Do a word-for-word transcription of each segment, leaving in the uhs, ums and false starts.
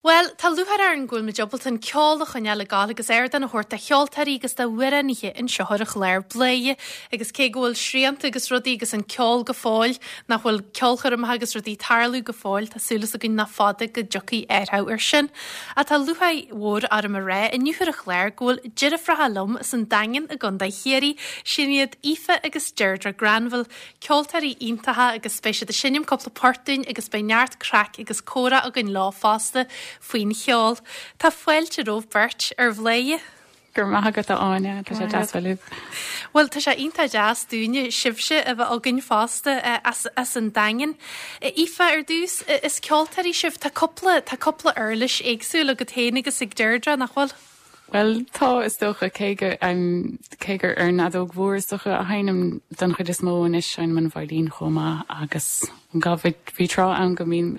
Bhuel, tá lúcháir orainn go bhfuil muid ábalta an ceol a choinneáil ag gabháil agus ardán a thabhairt do cheoltóirí agus d'amhránaithe anseo ar an chlár Bladhaire agus cé go bhfuil srianta agus rudaí agus an ceol go fóill nach bhfuil ceolchoirmeacha agus rudaí ag tarlú go fóill, tá súil againn nach fada go dtiocfaidh athrú ar sin. Ach tá lúcháir mhór orm a rá inniu ar an chlár go bhfuil deirfiúracha liom as an Daingean i gContae Chiarraí, sin iad Aoife agus Deirdre Granville, ceoltóirí iontacha agus beidh siad ag seinm cúpla port dúinn agus beidh neart craic agus comhrá againn leo fosta faoin cheol. Tá fáilte romhaibh beirt ar Bhladhaire. Gur maith agat Áine tá sé deas. Well tá sé iontach deas dúinne sibhse a bheith againn fosta as, as an Daingean. Aoife ar dtús is ceoltóirí sibh tá cúpla tá cúpla uirlis éagsúil agat féin agus ag Deirdre nach bhfuil? Well tá is dócha cé gur um, cé gur ar an fheadóg mhór is dócha a sheinnim den chuid is mó anois seinnim an veidhlín chomh maith agus gabh bhí tráth ann go mbínn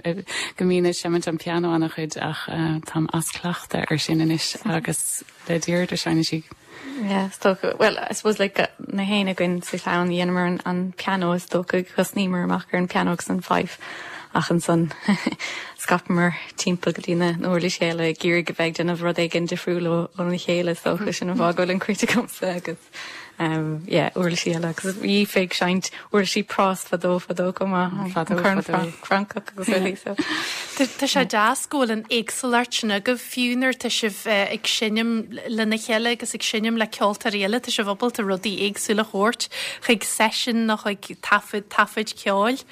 go mbínn ag seimint an pianó an-chuid ach uh, táim as cleachtadh ar sin anois agus le Deirdre seinneann sí. Yeah, is dócha well I suppose like na haon againn sa chlann dheineamar an, an pianó is dócha thosnaíomar amach ar an pianó agus an fife ach ansan scaipeamar timpeall go dtí na uirlisí eile ag iarraidh a bheith déanamh rud éigin difriúil óna chéile so sin an fáth go bhfuil an cruit agamsa agus um, yeah, uirlisí eile agus bhí ag seinnt uirlisí práis fadó fadó chomh maith Fadó, fadó. Francach agus rudaí so. Tá sé deas go bhfuil an éagsúlacht sin agaibh fiú nuair tá sibh ag seinm lena chéile agus ag seinm le ceoltóirí eile tá sibh ábalta rudaí éagsúla a thabhairt chuig seisiún nó chuig taifead taifead ceoil.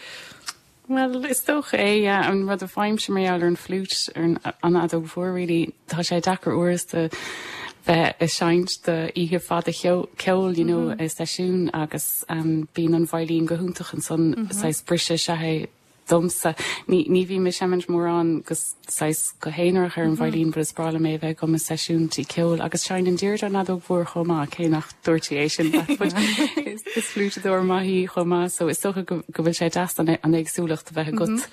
Well is dócha é an rud a fhaighimse mar ar an flute ar an fheadóg mhór really tá sé deacair uaireanta bheith ag seinnt do oíche fada ceoil you know, mm -hmm. i seisiún agus um, bíonn an veidhlín go hiontach ansan mm -hmm. saghas briseadh sé domsa ní ní bhím ag seimint mórán gus saghas go haonarach ar an veidhlín but is breá liom é bheith agam i seisiún tí ceoil agus seinneann Deirdre an fheadóg mhór chomh maith cé nach dúirt é sin is is fliútadóir maith í chomh maith so is dócha go go bhfuil sé deas an an éagsúlacht a bheith agat.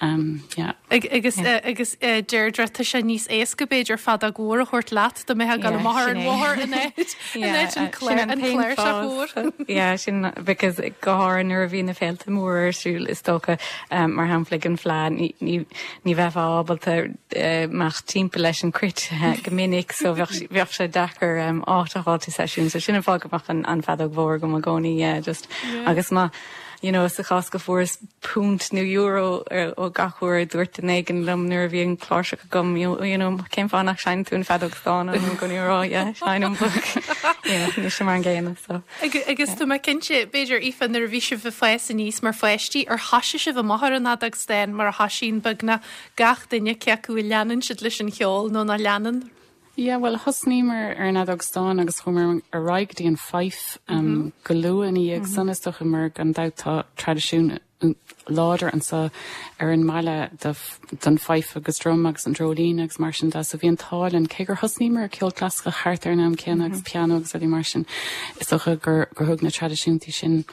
Um, yeah. Agus agus Deirdre tá sé níos éasca b'fhéidir feadóg mhór a thabhairt leat do mé go maith an mháthair in áit an chláirseach mhór. Yeah, sin because go háirithe nuair a bhí na féilte mór ar siúl is dócha um, mar shampla an Fleadh ní ní bheifeá ábalta uh, imeacht timpeall leis an cruit uh, go minic so bheadh sé deacair um, áit a fháil seisiún, so sin an fáth go mbeadh an, an fheadóg mhór agam i gcónaí yeah, just yeah. agus má you know, sa chás go bhfuaireas punt nó euro ó gach uair dúirt duine éigin liom nuair a bhí an chláirseach agam you know, cén fáth nach seinneann tú an fheadóg stáin go rá seinnim ní mar an gcéanna so. Agus tú cinnte b'fhéidir Aoife nuair a bhí sibh ag fás aníos mar pháistí ar thosaigh sibh amach ar an fheadóg stáin mar a thosaíonn beagnach gach duine cé acu a leanann siad leis an cheol nó nach leanann. Yeah, well thosnaíomar ar an fheadóg stáin agus chuamar ar aghaidh go dtí an fife um, mm -hmm. go luath ina dhiaidh mm -hmm. san is dócha mar gan dabht tá traidisiún láidir anseo ar an mbaile don fife agus drum agus an dreoilín agus mar sin de so bhí an t-ádh cé gur thosnaíomar ar ceol clasaiceach thart ar an am céanna agus pianó agus rudaí mar sin is dócha gur gur thug na traidisiúntaí sin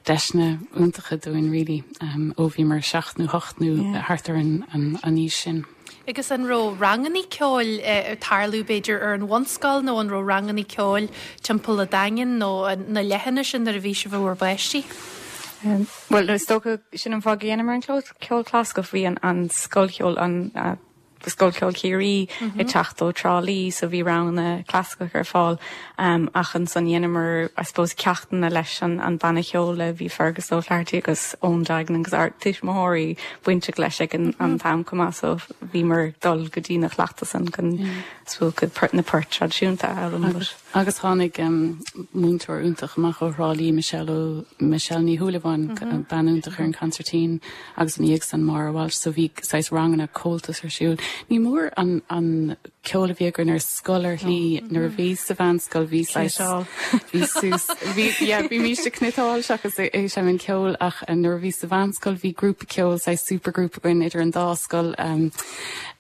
deiseanna iontacha dúinn really um, ó bhí mar seacht nó hocht nó yeah. thart ar an, an, an aois sin. Agus an raibh ranganna ceoil ag tarlú b'fhéidir ar an bhunscoil nó an raibh ranganna ceoil timpeall an Daingin nó na leithinis sin nuair a bhí sibh i bhur bpáistí? Um, well is dócha sin an fáth a mar an ceol clasaiceach bhí an, an scoil an uh, Scoil Cheoil Chiarraí mm -hmm. ag teacht ó Trá Lí so bhí ranganna clasaiceach ar fáil um, ach ansan dheineamar I suppose ceachtanna leis an, an banna ceoil bhí Fergus O'Flaherty agus Eoin Duignan agus ár tuismitheoirí bainteach leis ag an, mm -hmm. an t-am chomh maith so bhíomar dul go dtí na cleachta san chun mm. na poirt traidisiúnta agus, agus tháinig um, múinteoir iontach amach ó Thrá Lí Michelle Michelle Ní Shúilleabháin mm -hmm. bean iontach ar an concertina agus an san mar Walsh so bhí saghas ranganna Comhaltas ar siúl. Ní mór an an ceol a bhí againn ar scoil ar shlí nuair a bhí sa mheánscoil bhí bhí bhí mise ag cniotáil seachas é sem an ceol ach nuair a bhí sa mheánscoil bhí grúpa ceoil saghas supergrúpa againn idir an dá scoil um,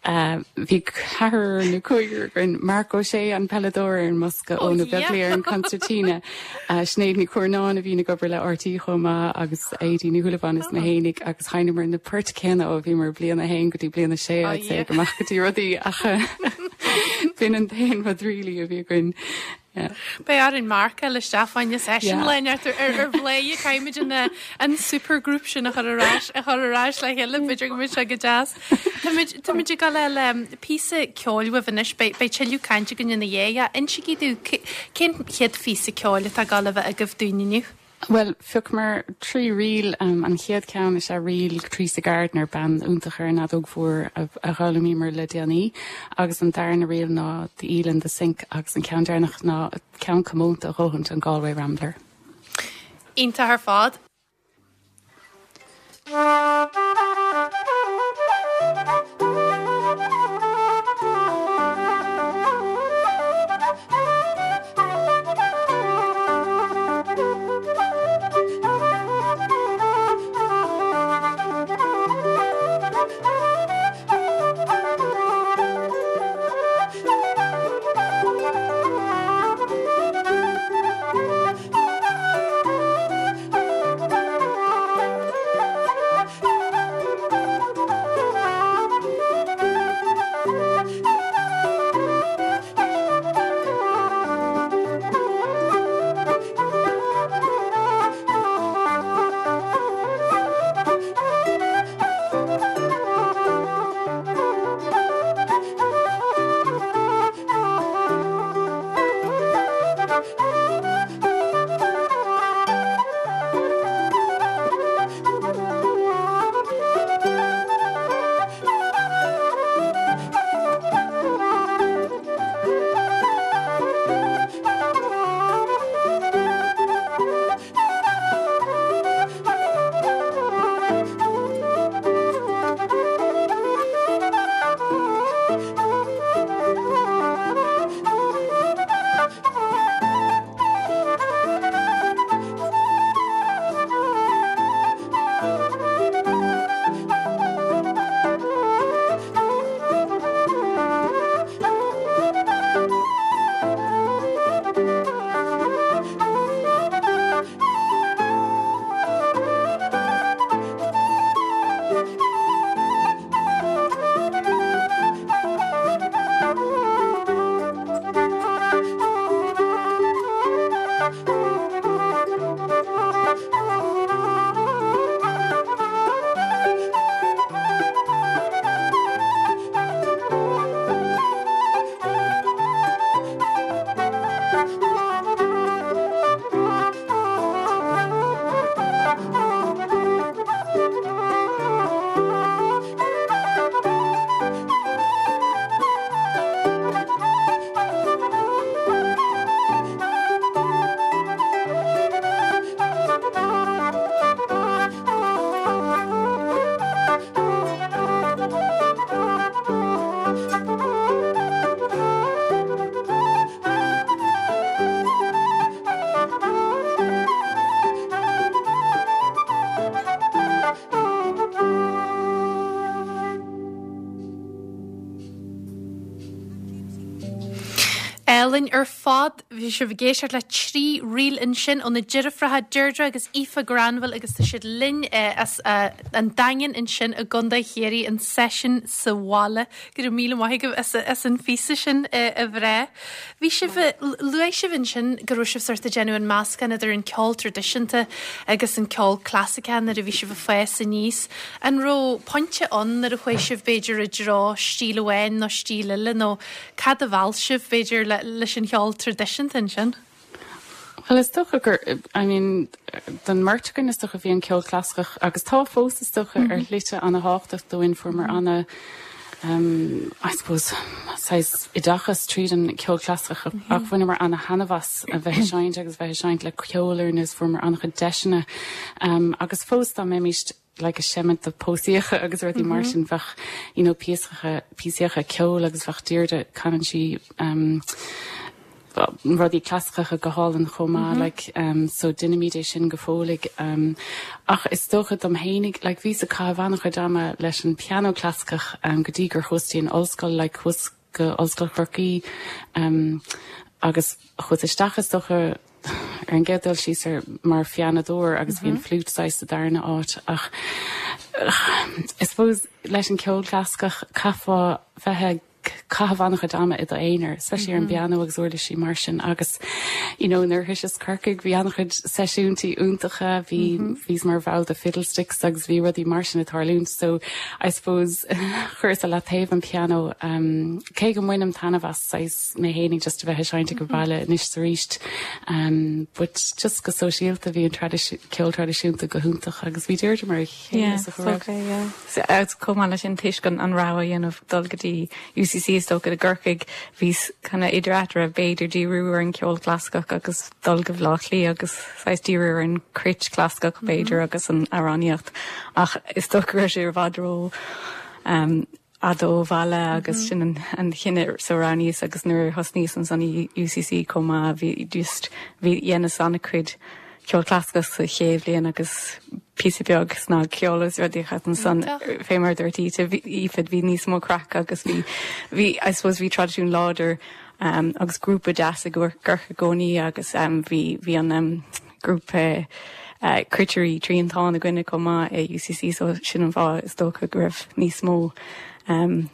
uh, bhí ceathrar nó cúigear againn Marc Ó Sé an peileadóir ar an mbosca Eoin Ó Beaglaoich ar an concertina. Uh, Sinéad Ní Chuarnáin a bhí ag obair le RTÉ chomh maith agus Aidí Ní Shúilleabháin is mé féinig agus sheinneamar na poirt céanna ó bhí mar bliain a haon go dtí bliain a sé oh, amach go dtí rudaí ach b'in an t-aon rud really a bhí againn. Beidh orainn marcáil isteach fá choinne session le ar ar Bhladhaire caithfimid an an supergroup sin a chur ar ais a chur ar ais le chéile b'fhéidir go mbeidh sé go deas. Táimid ag dul le píosa ceoil uaibh anois beidh tuilleadh cainte againn ina dhiaidh. Insígí domh cén chéad phíosa ceoil atá ag dul a bheith agaibh dúinn inniu. Well, phiocamar trí ríl um, an chéad ceann is ea ríl Teresa Gardner bean iontach ar an fheadóg mhór a, a d'fhoghlaimíomar le déanaí agus an darna ríl ná The Eel in the Sink agus an ceann deireanach ná ceann comónta a dhóthaint an Galway Rambler. Iontach ar fad. Álainn ar fad bhí sibh ag éisteacht le trí ríl ansin ó na deirfiúracha Deirdre agus Aoife Granville agus tá siad linn eh, as eh, an Daingean ansin i gContae Chiarraí an session sa bhaile go raibh míle maith agaibh as, as an phíosa sin eh, a bhreá. Bhí sibh luaigh sibh ansin go raibh sibh sort ag déanamh an meascán idir an ceol traidisiúnta agus an ceol clasaiceach nuair a bhí sibh ag fás aníos. An raibh pointe ann nuair a chuaigh sibh b'fhéidir i dtreo stíl amháin nó stíl eile nó cad a mheall sibh b'fhéidir le, leis an cheol traidisiúnta ansin? Well is dócha gur I mean don mbeirt againn is dócha bhí an ceol clasaiceach agus tá fós is dócha ar shlite an-tábhachtach dúinn fuaireamar ana um, I suppose saghas oideachas tríd an ceol clasaiceach mm -hmm. ach bhaineamar an-taitneamh as a bheith ag seinnt agus bheith ag seinnt le ceol ar nós fuaireamar an-chuid deiseanna um, agus fós dá mbeimist like ag seimint do pósadh agus rudaí mar sin bheadh you know píosacha píosacha ceol agus bheadh Deirdre canann sí um, rudaí clasaiceacha go hálainn chomh maith mm -hmm. like um, so déanaimid é sin go fóill um, ach is dócha dom fhéinig like bhíos ag caitheamh an-chuid ama leis an piano clasaiceach um, go dtí gur chuas an ollscoil like chuas go Ollscoil Chorcaí um, agus chuas isteach is dócha ar an gcéad dul síos ar mar phianadóir agus bhí an flute sa darna áit ach I suppose leis an ceol clasaiceach caithfeá bheith ag caitheamh an-chuid ama i d'aonar, especially ar an bpianó agus uirlisí mar sin agus you know nuair a thosaíos Corcaigh bhí an-chuid seisiúintí iontacha bhí bhíos mar bhall de Fiddlesticks agus bhí rudaí mar sin ag tarlúint so I suppose chuireas le taobh an piano um, cé go mbainim taitneamh as saghas mé féinig just a bheith ag seinnt go baile anois arís um, but just go sóisialta bhí an ceol traidisiúnta go hiontach agus bhí Deirdre mar Yeah, okay, yeah. So, agus chomh maith leis sin toisc an an rogha a dhéanamh dul go dtí UCC is dócha i gCorcaigh bhíos kind of idir eatarthu b'fhéidir díriú ar an ceol clasaiceach agus dul go Baile Átha Cliath agus saghas díriú ar an cruit clasaiceach b'fhéidir agus an amhránaíocht ach is dócha go raibh sé i bhfad ró um, fhada ó bhaile agus sin an, an cinneadh so roghnaíos agus nuair thosnaíos ansan i UCC chomh maith bhí just bhí dhéanas an-chuid ceol clasaiceach sa chéad bhliain agus píosa beag snagcheol is rudaí ansan fé mar dúirt Aoife bhí níos mó craic agus bhí bhí I suppose bhí traidisiún láidir um, agus grúpa deas i gCorcaigh i gcónaí agus um, bhí bhí an um, grúpa uh, cruitirí triantán againne chomh maith i UCC so sin an fáth is dócha go raibh níos mó um,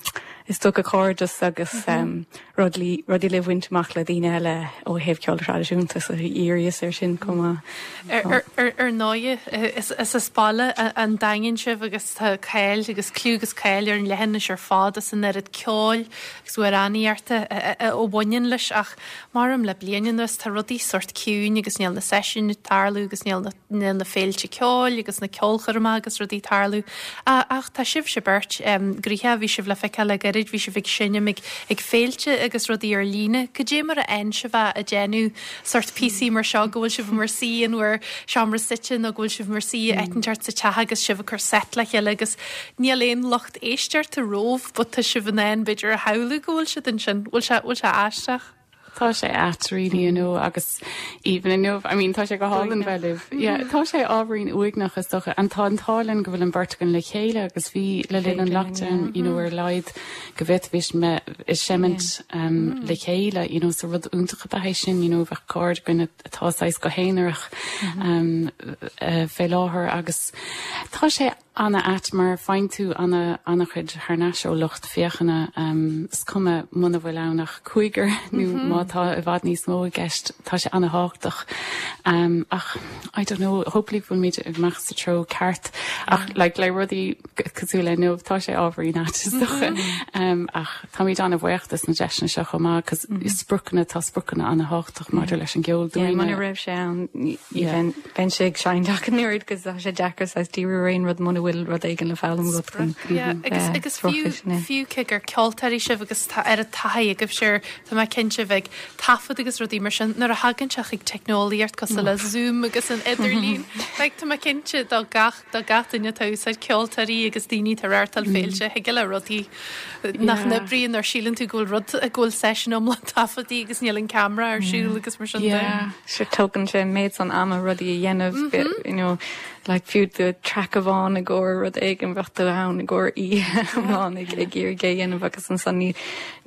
is dócha cairdeas agus um, rudaí rudaí le baint amach le daoine eile ó thaobh ceol traidisiúnta so dhíríos ar sin chomh maith. Ar ar ar ndóigh is is as baile an Daingin sibh agus tá cáil agus clú agus cáil ar an leithinis ar fad as an oiread ceoil agus amhránaíochta a bhaineann leis ach maram le bliain anuas tá rudaí sort ciúin agus níl na seisiúin ag tarlú agus níl na níl na féilte ceoil agus na ceolchoirmeacha agus rudaí ag tarlú. Ach tá sibhse beirt gnoitheach bhí sibh le feiceáil le gairid bhí sibh ag seinm ag ag féilte agus rudaí ar líne, Cad é mar a fhaigheann sibh a déanamh sort píosaí mar seo go bhfuil sibh mar suí in bhur seomra suite nó go bhfuil sibh mar suí áit sa teach agus sibh ag cur set le chéile agus níl aon lucht éisteachta romhaibh, but tá sibh in ann b'fhéidir a shamhlú go bhfuil siad ansin bhfuil sé bhfuil sé aisteach. Tá sé ait really you know agus even inniu I mean tá sé go hálainn bheith libh yeah tá sé ábhairín uaigneach is dócha an tá an t-ádh linn go bhfuil an bheirt againn le chéile agus bhí le linn an lockdown you know ar laghad go bhféadfaimis bheith ag seimint um, le chéile you know so rud iontach ab ea é sin you know bheith cairde againn atá saghas go haonarach um, uh, fé láthair agus tá sé an-ait mar faigheann tú an an-chuid thar n-ais ó lucht féachana um, is cuma muna bhfuil ann ach cúigear nó má tá i bhfad níos mó i gceist tá sé an-tábhachtach um, ach I don't know hopefully bhfuil ag imeacht sa treo ceart ach like, le rudaí cosúil le inniu tá sé ábhairín ait is dócha um, ach táimid an-bhuíoch as na deiseanna seo chomh maith cos spriocanna tá spriocanna an-tábhachtach maidir leis an gceol Muna raibh sé ann bheinn sé ag seinnt ach an oiread agus tá sé deacair saghas díriú ar aon rud muna bhfuil rud éigin le foghlaim agat chun agus agus fiú fiú cé gur ceoltóirí sibh agus tá ar a taithí agaibh sir tá mé cinnte bheith taifead agus rudaí mar sin nuair a thagann sé chuig teicneolaíocht cosúil le Zoom agus an idirlíon. Like tá mé cinnte do gach do gach duine tá úsáid ceoltóirí agus daoine tar reáchtáil féilte thig le rudaí nach n-oibríonn ar síleann tú go bhfuil rud a go bhfuil session iomlán taifeadtaí agus níl an camera ar siúl agus mar sin de. Se tógann sé méid san ama rudaí a dhéanamh you know, like fiú do track amháin i gcomhair rud éigin bheadh tú ann i gcomhair í iomlán ag ag iarraidh é a dhéanamh agus ansan ní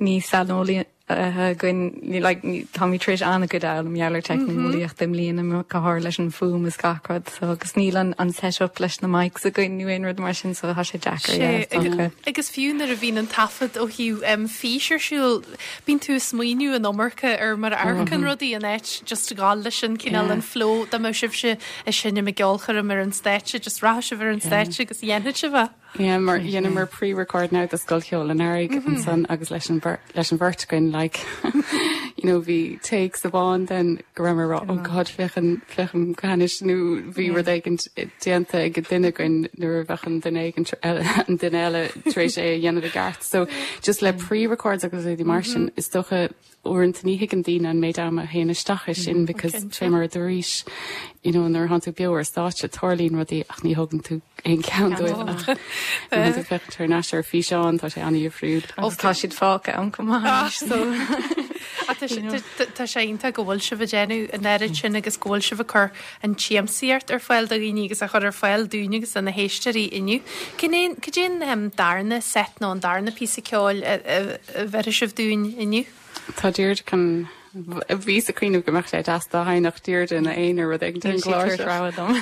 ní saineolaí againn ní like táimid tar éis an-chuid a fhoghlaim mar gheall ar teicneolaíocht i mbliana go háirithe leis an fuaim is gach rud so agus níl an an setup leis na mics againn nó aon rud mar sin so tá sé deacair yeah, is dócha. Agus fiú nuair a bhíonn an taifead ó thaobh um, fís ar siúl bíonn tú ag smaoineamh an iomarca ar mar a amharcann rudaí in áit just gabháil leis an cineál an flow dá mbeadh sibhse ag seinm i gceolchoirm ar an stáitse just rachadh sibh ar an stáitse agus dhéanfadh sibh é. Yeah, mar dhéanamar pre-record now do Scoil Cheoil an Earraigh ansan agus leis an leis an bheirt againn like you know bhí takes amháin den go raibh rá oh God féachan féachan go hanis nó bhí rud éigin déanta ag duine againn nuair a bheadh an duine éigin an duine eile tar éis é a dhéanamh i gceart. So just le pre-records agus rudaí mar sin is dócha uaireanta ní thuigeann daoine an méid ama a théann isteach i sin because fé mar a dúraís you know nuair atánn tú beo ar stáitse tarlaíonn rudaí ach ní thugann tú aon cheann dóibh ach nuair tú féachaint thar n-ais ar físeán tá sé an-difriúil. Agus tá siad fágtha ann chomh maith anois so Tá sé iontach go bhfuil sibh ag déanamh an oiread sin agus go bhfuil sibh ag cur an tsiamsaíocht ar fáil do dhaoine agus a chur ar fáil dúinn agus do na héisteoirí inniu. Cén cad é an darna set nó an darna píosa ceoil a bheirfidh sibh dúinn inniu? Tá Deirdre chun bhí sa cuimhneamh go mbeadh sé deas dá sheinnfeadh Deirdre ina aonar rud éigin den gclár seo. rogha dom.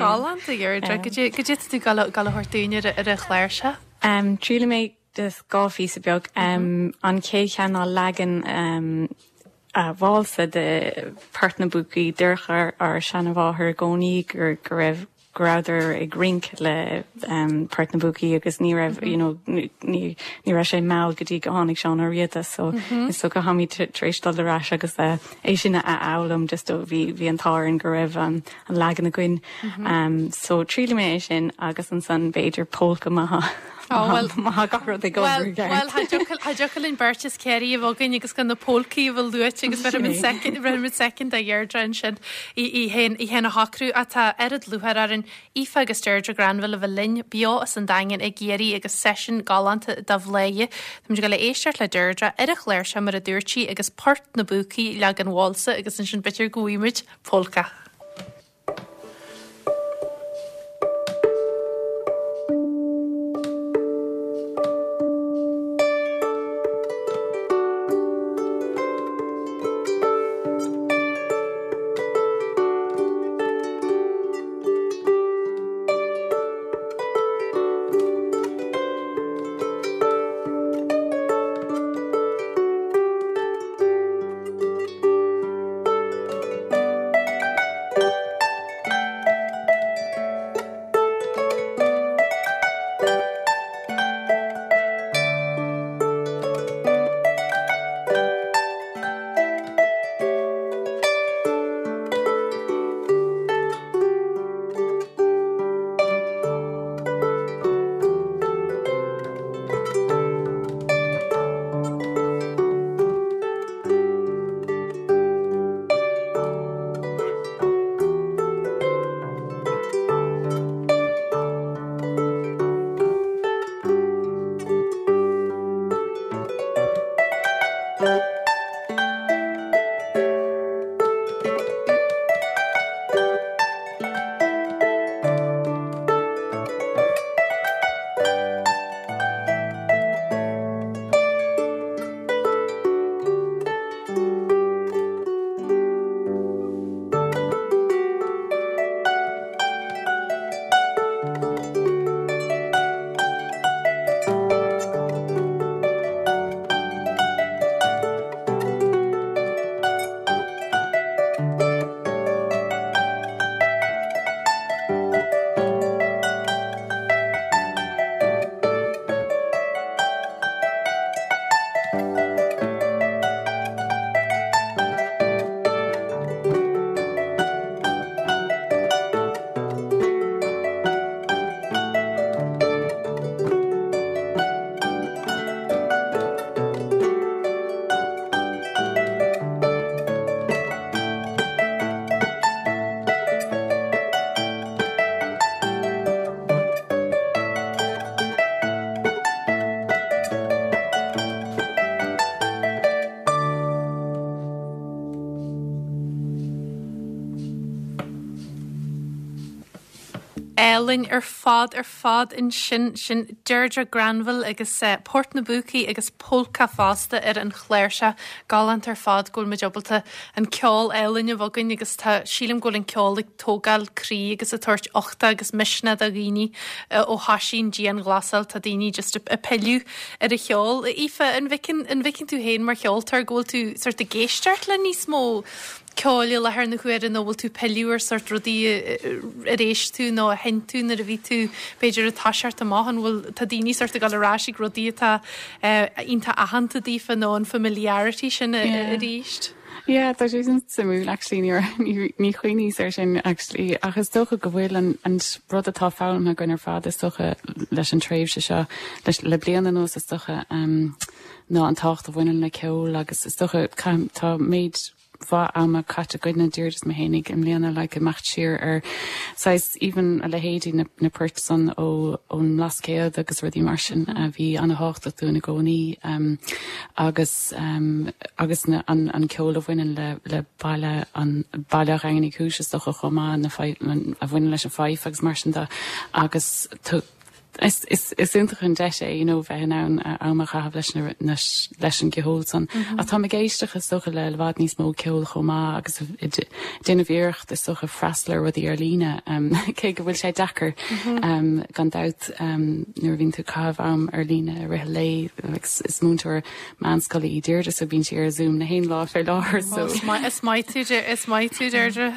Galánta Deirdre, cad é tú ag gabháil a thabhairt dúinn ar ar an chlár seo? Um, Triailfidh mé Just dhá phíosa beag. Um, an chéad cheann ná leagan um, a válsa de Port na bPúcaí. Dúirt ár seanmháthair i gcónaí gur go raibh go rabhadar ag rince le um, Port na bPúcaí agus ní raibh you know, ní ní raibh sé mall go dtí go tháinig Seán Ó Riada so mm -hmm. so go táimid tar éis dul ar ais agus uh, é sin a fhoghlaim just ó bhí bhí an t-ádh go raibh um, an leagan againn mm -hmm. um, so triailfidh mé é sin agus ansan b'fhéidir polca maith Oh, well, má gach rud ag Well, well, cha dtiocfadh linn beirt as Ciarraí a bheith againn agus gan na polcaí a bheith luaite agus bheith second a Dheirdre ansin í héin a shocrú atá oiread lúcháir orainn Aoife agus Deirdre Granville a bheith linn beo as an Daingean i gCiarraí agus seisiún galánta de Bhladhaire. Táimid ag dul a éisteacht le Deirdre ar an chláirseach mar a dúirt sí agus Port na bPúcaí leagan válsa agus ansin b'fhéidir go bhfaighimid polca. Álainn ar fad ar fad ansin sin Deirdre Granville agus uh, Port na bPúcaí agus polca fosta ar an chláirseach galánta ar fad go bhfuil muid ábalta an ceol álainn a bheith againn agus tá sílim go bhfuil an ceol ag tógáil croí agus ag tabhairt uchta agus misneach do dhaoine uh, ó thosaigh an dianghlasáil tá daoine just ag pilleadh ar an cheol. Aoife an bhfeiceann an bhfeiceann tú féin mar cheoltóir go bhfuil tú sort ag éisteacht le níos mó ceoil i láthair na huaire nó bhfuil tú pilleadh ar sort rudaí ar éist tú nó a sheinn tú nuair a bhí tú b'fhéidir ag toiseacht amach an bhfuil tá daoine sort ag dul ar ais ag rudaí atá iontach aitheanta daofa nó an familiarity sin arís. Yeah, tá sé sin suimiúil actually ní ní chuimhníos air sin actually ach is dócha go bhfuil an an rud atá foghlamtha againn ar fad is dócha leis an tréimhse seo leis le bliain anuas is dócha um, ná an tábhacht a bhaineann le ceol agus is dócha tá méid mhaith ama caite againne Deirdre is mé féinig i mbliana le like, imeacht siar ar saghas even a leithéidí na, na poirt san ó ón mBlascaod agus rudaí mar sin a bhí an-tábhachtach dúinn i gcónaí um, agus um, agus na, an, an ceol a bhaineann le, le baile an baile Dhaingean Uí Chúis is dócha chomh maith na a bhaineann leis an fife agus mar sin de agus is is is iontach an deis é you know bheith in ann am a chaitheamh leis na leis an gceol san. Mm -hmm. Tá ag éisteacht is dócha le i bhfad níos mó ceol chomh maith agus déanamh iarracht is dócha freastal ar rudaí ar líne um, cé go bhfuil sé deacair mm -hmm. um, gan dabht um, nuair bhíonn tú caitheamh am ar líne rith lé is múinteoir meánscoile í Deirdre so bíonn sí ar Zoom na haon lá fé láthair so is maith tú is maith tú Deirdre.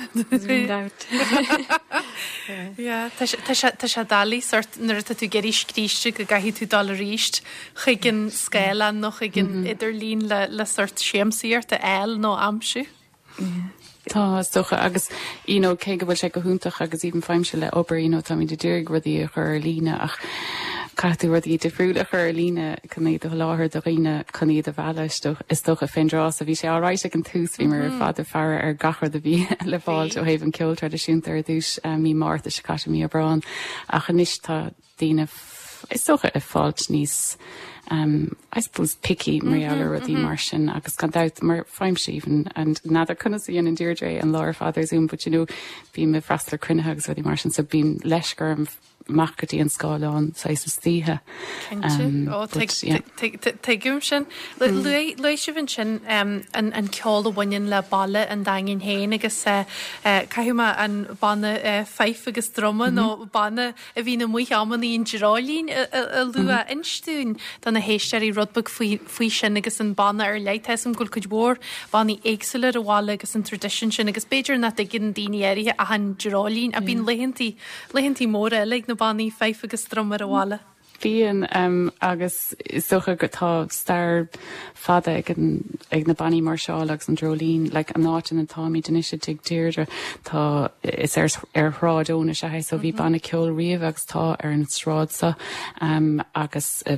Tá sé doiligh sort nuair atá tú ag éirí scríste go gcaithfidh tú dul arís chuig an scáileán nó chuig an mhm. idirlíon le le sort siamsaíocht a fháil nó aimsiú. Tá is dócha agus you know, cé go bhfuil sé go hiontach agus even faighimse le obair you know, tá mé d'iarraidh rudaí a chur ar líne ach caithfidh tú rudaí difriúla a chur ar líne chun iad a sholáthar do dhaoine chun iad a mhealladh is dócha fén dtráth a bhí sé á ag an tús bhí mar ar fad ag faire ar gach rud a bhí le fáil ó thaobh an ceol traidisiúnta ar dtús eh, mí Márta se caiite mí Aibreán ach anois tá daoine is dócha ag fáilt níos um, I suppose picky mar mm -hmm, rudaí mm -hmm. mar sin agus gan dabht mar faighimse even and n'fheadar conas a dhéanann Deirdre an lá ar fad ar Zoom, but you know bím ag freastal ar chruinnithe agus rudaí mar sin so bím leis gur amach go dtí an scáileán saghas istoíche. Tuigim sin Luaigh sibh ansin an ceol a bhaineann le baile an Daingin féin agus eh, eh, caithfidh mé an banna eh, fife agus druma nó banna a bhíonn amuigh amannaí an Dreoilín a lua inis dúinn do na héisteoirí rud beag faoi sin agus an banna ar leith am go bhfuil cuid mhór bannaí éagsúla ar an bhaile agus an tradition sin agus b'fhéidir nach dtuigeann daoine áirithe ach an Dreoilín a bíonn laethantaí laethantaí móra eile ag na bannaí fife agus druma ar an bhaile. Bíonn um, agus is dócha go tá stair fada ag, an, ag na bannaí máirseála agus an Dreoilín, like an áit ina dtáimid anois i dtigh Deirdre tá is ar ar Shráid Eoin is ea so bhí mm -hmm. banna ceoil riamh agus tá ar an sráid seo um, agus uh,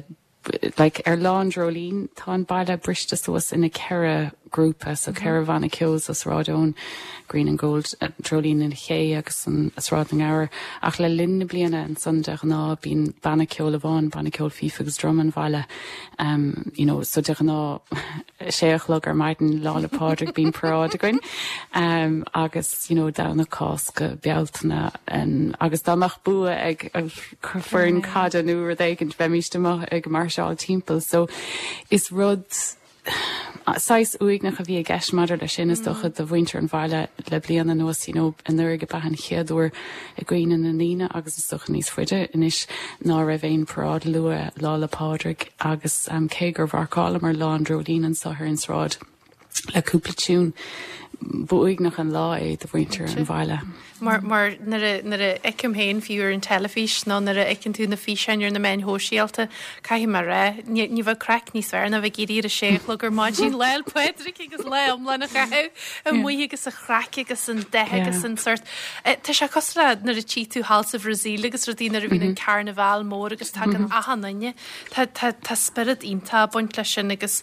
like ar lá an Dreoilín tá an baile briste suas ina ceithre grúpa so ceithre bhanna ceoil sa Sráid Eoin Green and Gold uh, Dreoilín an Ché agus an Sráid na nGabhar ach le linn na bliana ansan de ghnáth bíonn banna ceoil amháin banna ceoil fife agus drum an bhaile um, you know, so de ghnáth sé a chlog ar maidin Lá 'le Pádraig bíonn paráid againn um, agus you know, Domhnach Cásca Bealtaine um, agus dá mbeadh bua ag foireann caide nó rud éigin bheimís amuigh ag máirseáil timpeall so is rud saghas uaigneach a bhí i gceist maidir leis sin is dócha do mhuintir an bhaile le bliana anuas you know, anuraidh ab ea an chéad uair i gcuimhne na ndaoine agus is dócha níos faide anois ná raibh aon paráid luath Lá 'le Pádraig agus um, cé gur mharcálamar lá an Dreoilín anseo ar an sráid le cúpla tiún b'uaigneach an lá é do mhuintir an bhaile. Mar mar nuair a fheicim féin fiú ar an teilifís nó nuair a fheiceann tú na físeáin ar na meáin shóisialta caithfidh mé rá ní bheadh craic níos fearr ná bheith ag éirí ar a sé a chlog ar maidin Lá 'le Pádraig agus lá iomlán a chaitheamh amuigh agus an chraic agus an dath agus an sort. Tá sé cosúil le nuair a tchí tú thall sa Bhrasaíl agus rudaí nuair a bhíonn an carnabhal mór agus tagann achan duine. Tá spiorad iontach ag baint leis sin agus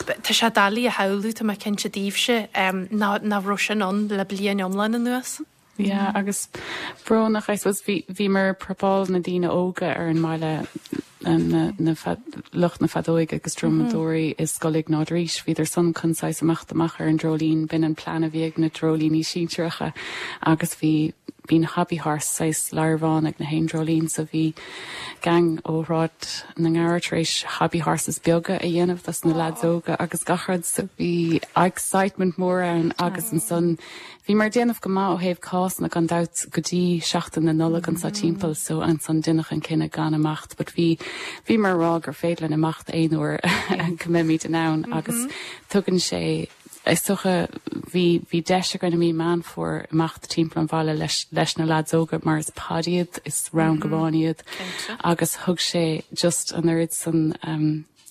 tá sé doiligh a shamhlú tá mé cinnte daoibhse ná nach raibh sin ann le bliain iomlán anuas. Yeah, agus brónach I suppose bhí bhí mar prepáil na daoine óga ar an mbaile na, na lucht na feadóige agus drumadóirí mm -hmm. i Scoil Iognáid Rís, bhíodar san chun saghas imeacht amach ar an Dreoilín b'in an plean a bhí ag na dreoilíní sinsearacha agus bhí bíonn hobby horse saghas larbhán ag na haon dreoilín so bhí gang ó Shráid na nGabhar tar éis hobby horses beaga a dhéanamh dos na lads óga agus gach rud so bhí excitement mór ann agus ansan bhí mar déanamh go maith ó thaobh cásanna gan dabht go dtí seachtain na Nollag anseo timpeall so ansan deineadh an cinneadh gan imeacht, but bhí bhí mar rá gur féidir linn imeacht aon uair go mbeimid in ann agus tugann sé is dócha bhí bhí deis againn i mí Meán Fómhair imeacht timpeall an bhaile leis leis na lads óga mar is pod iad is rang amháin iad agus thug sé just an oiread san um,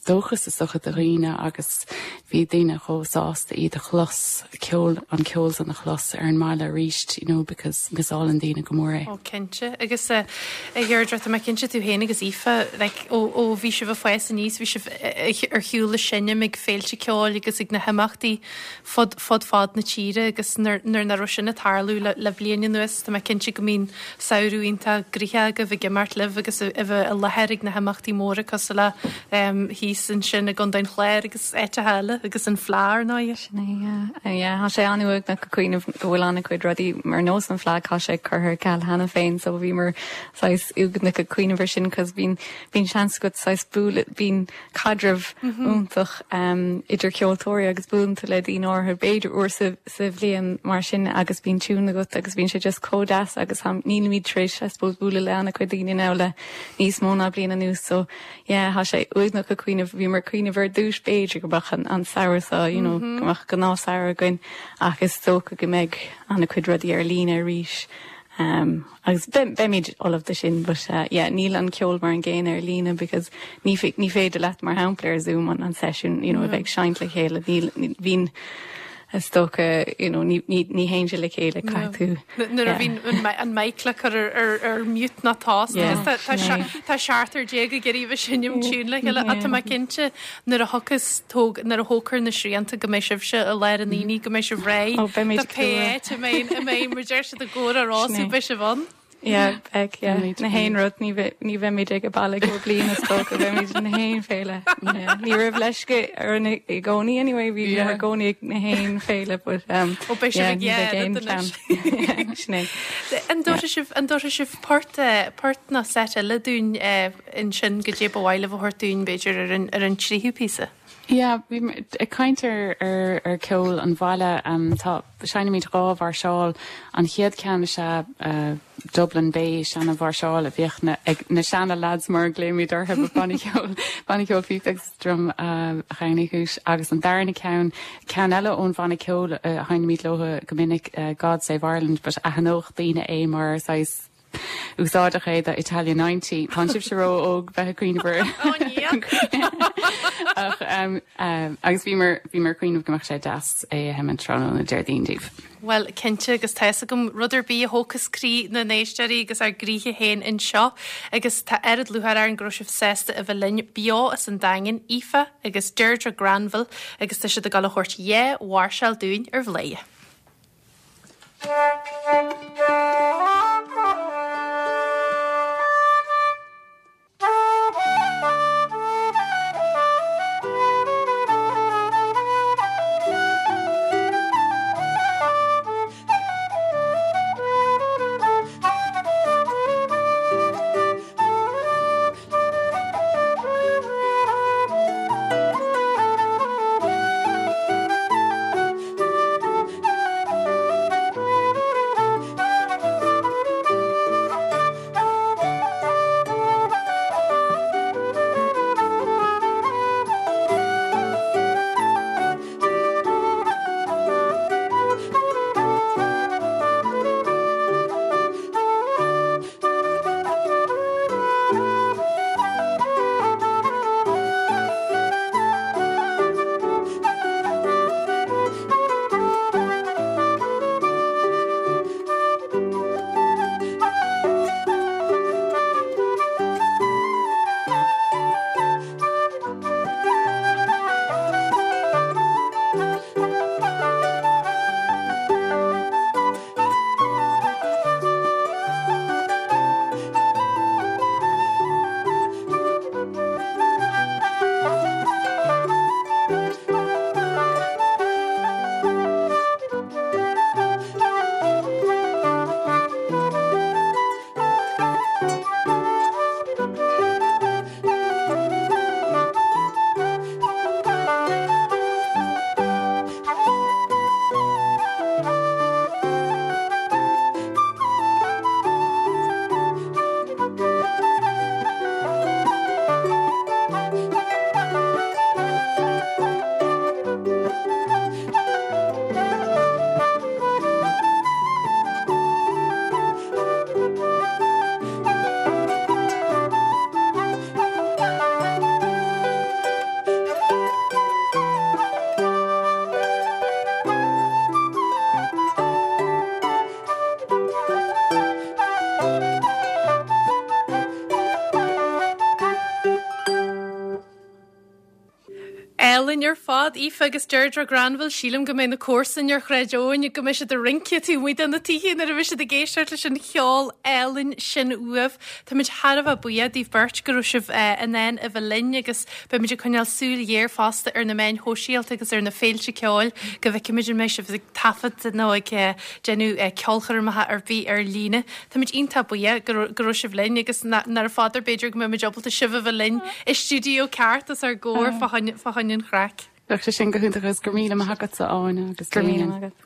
dóchas is dócha do dhaoine agus bhí daoine chomh sásta iad a chlos ceol an ceol san a chlos ar an mbaile arís you know, because missálann daoine go mór é. Ó cinnte agus a Dheirdre tá mé cinnte tú féin agus Aoife like, ó, ó bhí sibh ag fás aníos bhí sibh ar shiúl le seinm ag féilte ceoil agus ag na himeachtaí fud fud fad na tíre agus nuair nach raibh sin ag tarlú le, le bliain anuas tá mé cinnte go mbíonn samhradh iontach gnoitheach agaibh ag imeacht libh agus a bheith i láthair ag na himeachtaí móra cosúil le um, thíos thíos ansin i gContae an Chláir agus áiteacha eile agus an Fleadh ar ndóigh. Sin é, yeah. Yeah, tá sé an-uaigneach ag cuimhneamh go bhfuil an-chuid rudaí mar nós an Fleadh tá sé curtha ar ceal cheana féin, so bhíomar saghas uaigneach ag cuimhneamh ar sin cos bíonn bíonn seans agat saghas bualadh bíonn caidreamh iontach um, idir ceoltóirí agus buaileann tú le daoine áirithe b'fhéidir uair sa, sa bhliain mar sin agus bíonn tiún agat agus bíonn sé just chomh deas agus nílimid tar éis I suppose bualadh le an-chuid daoine now le níos mó ná bliain anuas so yeah tá sé uaigneach ag cuimhneamh bhíomar ag cuimhneamh ar dtús b'fhéidir go mbeadh an, an samhradh so you know, mm -hmm. go mbeadh gnáthshamhradh againn ach is dócha go mbeidh an-chuid rudaí ar líne arís. Um, agus beimid ullamh do sin, but uh, yeah, níl an ceol mar an gcéanna ar líne because ní ní féidir leat mar shampla ar Zoom an, an session you know, mm. a bheith seinnt le chéile níl bhín is dócha you know, ní, ní, ní haon le chéile caithfidh tú. Nuair a bhíonn an mic le cur ar ar mute ná tá Tá seachtar déag ag iarraidh bheith seinm tiún le chéile ach tá mé cinnte nuair a thiocfas tóg nuair a thógfar na srianta go mbeidh sibhse i lár an aonaigh go mbeidh sibh réidh Ó, beimid Tá pé áit a mbeidh a mbeidh mar deir siad i gcóir a rású beidh sibh ann. Yeah, beidh, yeah. Na haon rud ní ní bheimid ag baile go bliain is dócha beimid na haon féile. Ní raibh leisce ar an i gcónaí anyway bhí yeah. i gcónaí ag na haon féile but um, Ó beidh sibh ag yeah, Sin é. An dtabharfaidh sibh an dtabharfaidh sibh port eh, port nó set eile dúinn eh, ansin goidé ba mhaith libh a thabhairt dúinn b'fhéidir ar an ar an tríú píosa. Yeah, bhí ag caint ar ar ar ceol an bhaile um, tá seinnimid dhá mháirseáil an chéad ceann is ea uh, Dublin Bay seana mháirseáil a bhíodh na, ag na seana lads mar glaoimid orthu banna ceoil banna ceoil phíob agus drum uh, Chéanaigh agus an darna ceann ceann eile ón bhanna ceoil uh, sheinnimid leo go minic uh, God Save Ireland, but aithneodh daoine é mar saghas úsáideach é do Italia ninety. Tá sibh ró-óg bheith ag cuimhneamh ach um, um, agus bhí mar bhí mar cuimhneamh go mbeadh sé deas é a sheinm tráthnóna Déardaoin daoibh. Well cinnte agus tá fhios agam rud ar bith a thógfas croí na n-éisteoirí agus ár gcroíthe féin anseo agus tá oiread lúcháir orainn go raibh sibh sásta a bheith linn beo as an Daingean Aoife agus Deirdre Granville agus tá siad ag dul a thabhairt dhá mháirseáil dúinn ar Bhladhaire. Thank Álainn ar fad Aoife agus Deirdre Granville sílim go mbeidh na comharsana ar Shráid Eoin go mbeidh siad ag rince taobh amuigh de na tithe nuair a bheidh siad ag éisteacht leis an cheol álainn sin uaibh. Táimid thar a bheith buíoch daoibh beirt go raibh sibh eh, in ann a bheith linn agus beimid ag coinneáil súil ghéar fosta ar na meáin shóisialta agus ar na féilte ceoil go bhfeicfimid an mbeidh sibh ag taifead nó ag eh, déanamh eh, ceolchoirmeacha ar bith ar líne. Táimid iontach buíoch go raibh- go raibh sibh linn agus nára fadar b'fhéidir go mbeimid ábalta sibh a bheith linn i stiúideo ceart os ár gcomhair fá choinne an chraic. Bheadh sé sin go hiontach agus go míle maith agatsa Áine agus Go míle Damien. maith agat.